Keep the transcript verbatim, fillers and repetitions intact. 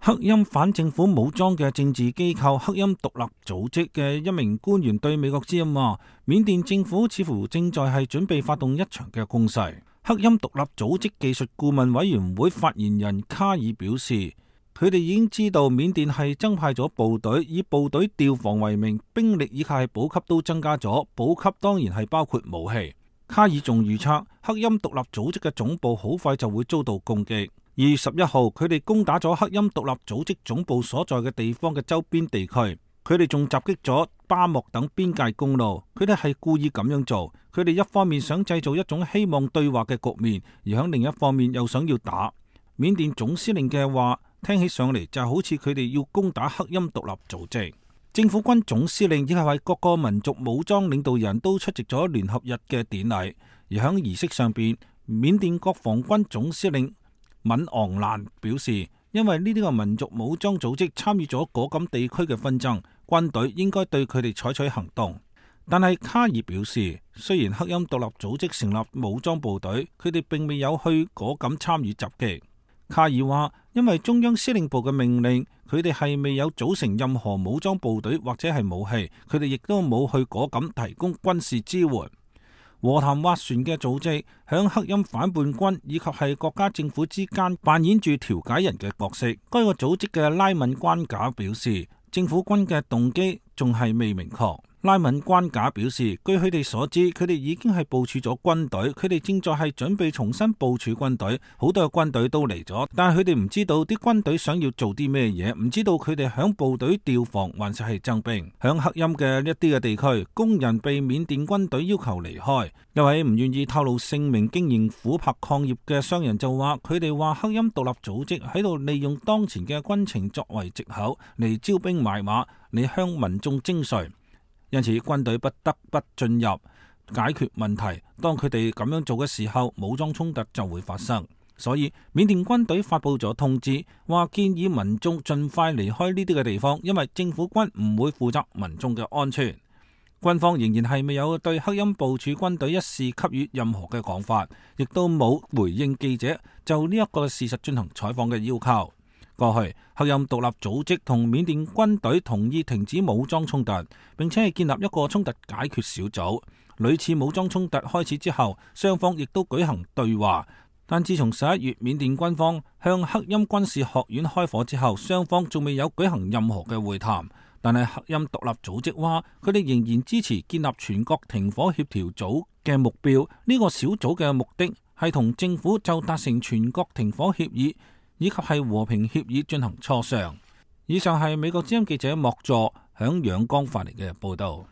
克欽反政府武裝嘅政治機構克欽獨立組織嘅一名官員對美國之音話，緬甸政府似乎正在係準備發動一場嘅攻勢。克欽獨立組織技術顧問委員會發言人卡爾表示，佢哋已經知道緬甸係增派咗部隊，以部隊調防為名，兵力以及係補給都增加咗，補給當然係包括武器。卡爾仲預測克欽獨立組織嘅總部好快就會遭到攻擊。二月十一號，佢哋攻打咗克欽獨立組織總部所在嘅地方嘅周邊地區，佢哋仲襲擊咗巴莫等邊界公路。佢哋係故意咁樣做，佢哋一方面想製造一種希望對話嘅局面，而喺另一方面又想要打。緬甸總司令嘅話聽起上嚟就好似佢哋要攻打克欽獨立組織。政府軍總司令以及係各個民族武裝領導人都出席咗聯合日嘅典禮，而喺儀式上邊，緬甸國防軍總司令敏昂蘭表示，因為呢啲個民族武裝組織參與咗果敢地區嘅紛爭，軍隊應該對佢哋採取行動。但係卡爾表示，雖然克欽獨立組織成立武裝部隊，佢哋並未有去果敢參與襲擊。卡爾話，因為中央司令部嘅命令，佢哋係未有組成任何武裝部隊或者係武器，佢哋亦都冇去果敢提供軍事支援。和談斡旋嘅組織響克欽反叛軍以及係國家政府之間扮演住調解人嘅角色。該個組織嘅拉敏關賈表示，政府軍嘅動機仲係未明確。拉敏關賈表示，據佢哋所知，佢哋已經係部署咗軍隊，佢哋正在係準備重新部署軍隊，好多嘅軍隊都嚟咗，但係佢哋唔知道啲軍隊想要做啲咩嘢，唔知道佢哋響部隊調防還是係增兵。響克欽嘅一啲嘅地區，工人被緬甸軍隊要求離開。一位唔願意透露姓名經營琥珀礦業嘅商人就話，佢哋話克欽獨立組織喺度利用當前嘅軍情作為藉口嚟招兵買馬，嚟向民眾徵稅。因此軍隊不得不進入解決問題，當佢哋咁樣做嘅時候，武裝衝突就會發生。所以緬甸軍隊發佈咗通知，話建議民眾盡快離開呢啲嘅地方，因為政府軍唔會負責民眾嘅安全。軍方仍然係未有對克欽部署軍隊一事給予任何嘅講法，亦都冇回應記者就呢一個事實進行採訪嘅要求。過去克欽獨立組織同緬甸軍隊同意停止武裝衝突，並且係建立一個衝突解決小組。屢次武裝衝突開始之後，雙方亦都舉行對話。但自從十一月緬甸軍方向克欽軍事學院開火之後，雙方仲未有舉行任何嘅會談。但係克欽獨立組織話，佢哋仍然支持建立全國停火協調組嘅目標。呢個小組嘅目的係同政府就達成全國停火協議以及係和平協議進行磋商。以上係美國之音記者莫助響仰光發嚟嘅報道。